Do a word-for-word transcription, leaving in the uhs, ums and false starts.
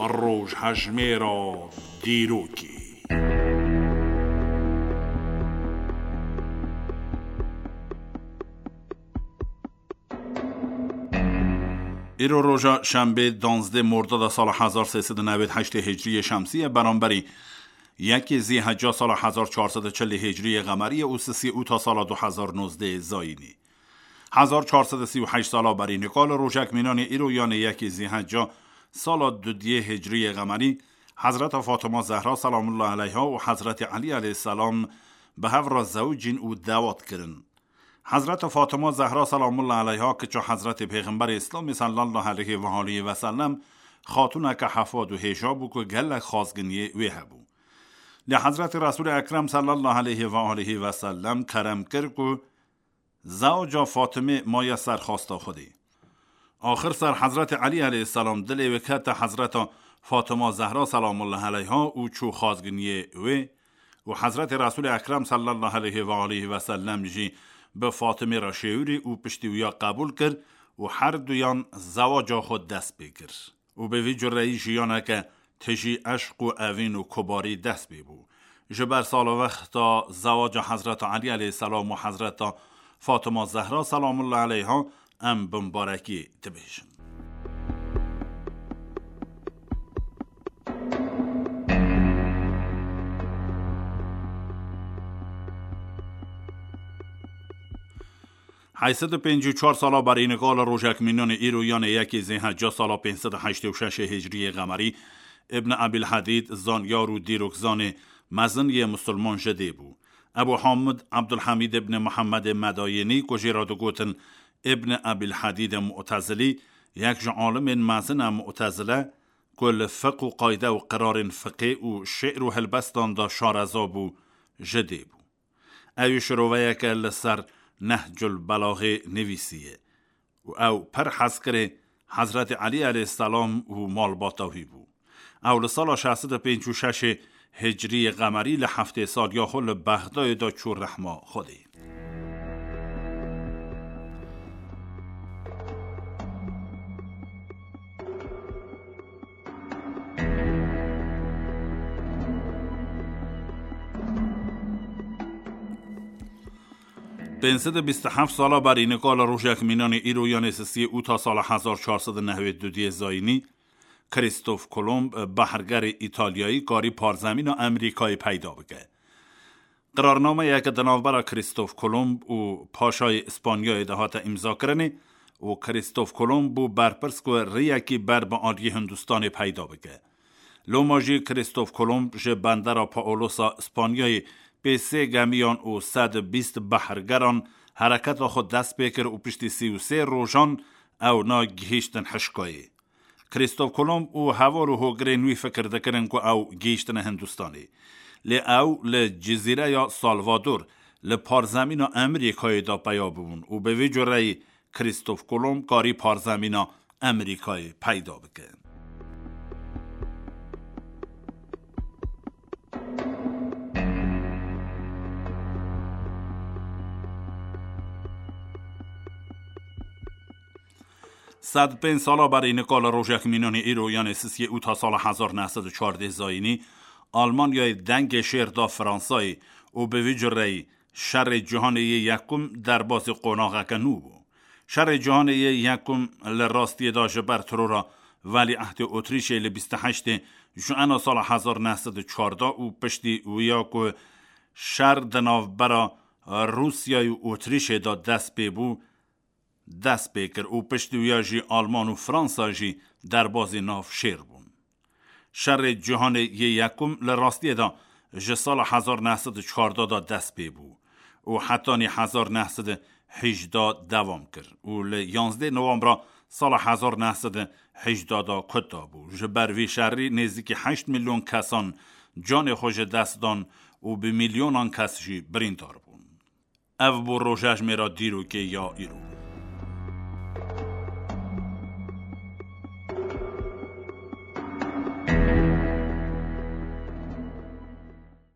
Rojhejmêra dîrokê. Îro roja şembê, danzdeh mordada sala hezar sê sed û newêd heştê hicriyê şemsî ye, beramberî yekê zîheca sala hezar çar sed û çilê hicriyê qemerî ye û sisiyê ûta sala du hezar nozdeh zayînî. Hezar çar sed û sî û heşt sala berî nika li rojek mînanê îro, yanê yekê zîheca sala dudiyê hicriyê qemerî, Hezreta Fatima Zehra selamullah aleyha û Hezretê Elî aleyhisselam bi hev re zewicîn û dewat kirin. Hezreta Fatima Zehra selamullah aleyha, kiça Hezretê Pêxemberê Îslamê sallallahu aleyhi ve aleyhi ve sellem, xatûneke hefad û hêja bû ku gelek xazginiyê wê hebû. Lê Hezretê Resûlê Ekrem sallallahu aleyhi ve aleyhi ve sellem kerem kir ku zewaca Fatimê maye ser xwesta Xwedê. Axir ser Hezretê Elî aleyhisselam dilê wê kete Hezreta Fatima Zehra selamullah aleyha û çû xazginiyê wê û Hezretê Resûlê Ekrem sallallahu aleyhi ve aleyhi ve sellem jî bi Fatimê re şêwirî û piştî wiya qebûl kir û her duyan zewaca xwe dest pê kir. Û bi vî cureyî jiyaneke tijî eşq û evîn û kubarî dest pê bû. Ji ber salavexta zewaca Hezreta Elî aleyhisselam û Hezreta Fatima Zehra selamullah aleyha em bimbarekî dibêjin. Heyt sed û pêncî û çar sala berî nika li rojek mînanê îro, yanê yekê zêheca sala pênc sed û heştê û şeş hicriyê qemerî, Ibn Abil Hedîd, zanyar û dîrokzanê mezin yê misilman ji dê bû. Ebu Hamid Abdulhamid ibn Muhammedê Medayinî, ku jê re digotin Ibn Abil Hedîdê Mu'tezilî, yek ji alimên mezin e Mu'tezile, ku li fiq û qayde û qirarên fiqê û şi'r û helbestan de şareza bû, ji dê bû. Ew ê şiroveyeke li ser Nehcul Belaxê nivîsiye û ew pir hezkirê Hezretê Elî aleyhisselam û malbata wî bû. Ew li sala şeş sed û pêncî û şeş hicriyê qemerî li heftê saliya xwe li Bexdayê de çû rehma Xwedê. Pênc sed û bîst û heft sala berî nika li rojek mînanê îro, yanê sisiyê ûta sala hezar çar sed û newêd û duyê zayînî, Krîstof Kolomb, behrgerê Îtalyayî, karî parzemîna Amerîkayê peyda bike. Qirarnameyeke di navbera Krîstof Kolomb û Paşayê Îspanyayê de hate îmzakirinê û Krîstof Kolomb bû berpirs ku rêyekî ber bi aliyê Hindistanê peyda bike. Loma jî Krîstof Kolomb ji bendera Paolosa Îspanyayê pê sê gemiyan û sed û bîst behrgeran hereketa xwe dest pê kir û piştî sî û sê rojan ewna gihîştin hişkayê. Krîstof Kolomb û heval û hogirên wî fikir dikirin ku ew gihîştine Hindistanê. Lê ew li cizîreya Salvador li parzemîna Amerîkayê de peya bibûn û bi vî cureyî Krîstof Kolomb karî parzemîna Amerîkayê peyda bike. Sed pênc sala berî nika li rojek mînanê îro, yanê sisiyê ûta sala hezar neh sed û çardeh zayînî, Almanyayê dengê şêr da Fransayê û bi vî cureyî şerê cîhanê yê yekum derbasî qonaxeke nû bû. Şerê Cîhanê yê Yekum li rastiyê de ji ber terora Welîehdê Otrîşê li bîst û heştê Juena sala hezar neh sed û çardeh û piştî wiya ku şer di navbera Rûsya û Otrîşê de dest pê bû, dest pê kir û piştî wiya jî Alman û Fransa jî derbazî nav şêr bûn. Şerê Cîhanê yê Yekum li rastiyê de ji sala hezar neh sed û çardeh de dest pê bû û hetanî hezar neh sed û hejdeh dewam kir û li yanzdeh Nowembra sala hezar neh sed û hejdeh de kuta bû. Ji ber vî şerî nêzîkî heşt milyon kesan canê xwe ji dest dan û bi milyonan kes jî birîndar bûn. Ev bû rojejmêra dîrokê ya îro.